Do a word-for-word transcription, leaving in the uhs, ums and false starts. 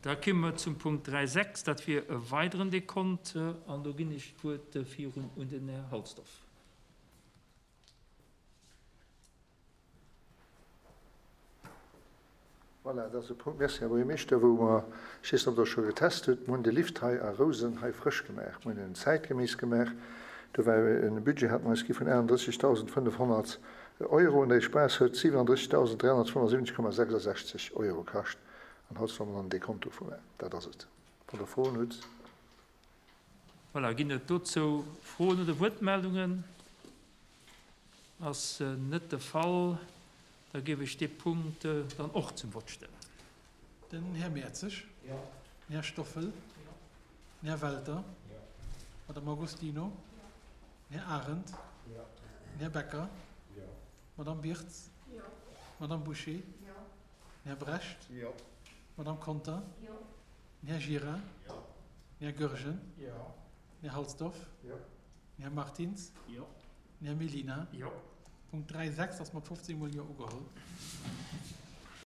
Da komme mer zum Punkt dräi sechs, dat wier e weideren Dekont, an do ginn ech d'Wuert virun un den Här Halsdorf. Voilà, dat ass e Punkt, merci, Här Buergermeeschter, wou mer, ech weess net, ob Der scho getest hutt, mir hunn de Lift hei a Rousen hei frësch gemaach, mir hunn en zäitgeméiss gemaach. Do war e Budget, hat mer eis gi vun achtendrëssigtausendfënnefhonnert Euro, an dee Spaass huet siwenandrëssigtausenddräihonnertfënnefundsiwwenzeg Komma sechsasechzeg Euro kascht. An haut solle mer dann dee Konto vu maachen. Dat ass et. Wann Der Froen hutt. Voilà, ginn et dozou Froen oder Wuertmeldungen? Ass net de Fall. Da géif ech dee Punkt dann och zum Vott stellen. Den Här Mertzig. Jo. Den Här Stoffel. Jo. Den Här Welter. Jo. D'Madame Agostino. Jo. Den Här Arendt. Jo. Den Här Becker. Jo. D'Madame Birtz. Jo. D'Madame Bouché. Jo. Den Här Brecht. Jo. D'Madame Conter. Jo. Den Här Gira. Jo. Den Här Goergen. Jo. Den Här Halsdorf. Jo. Den Här Martins. Jo. Den Här Mellina. Jo. Punkt dräi sechs ass mat fofzéng mol Jo ugeholl.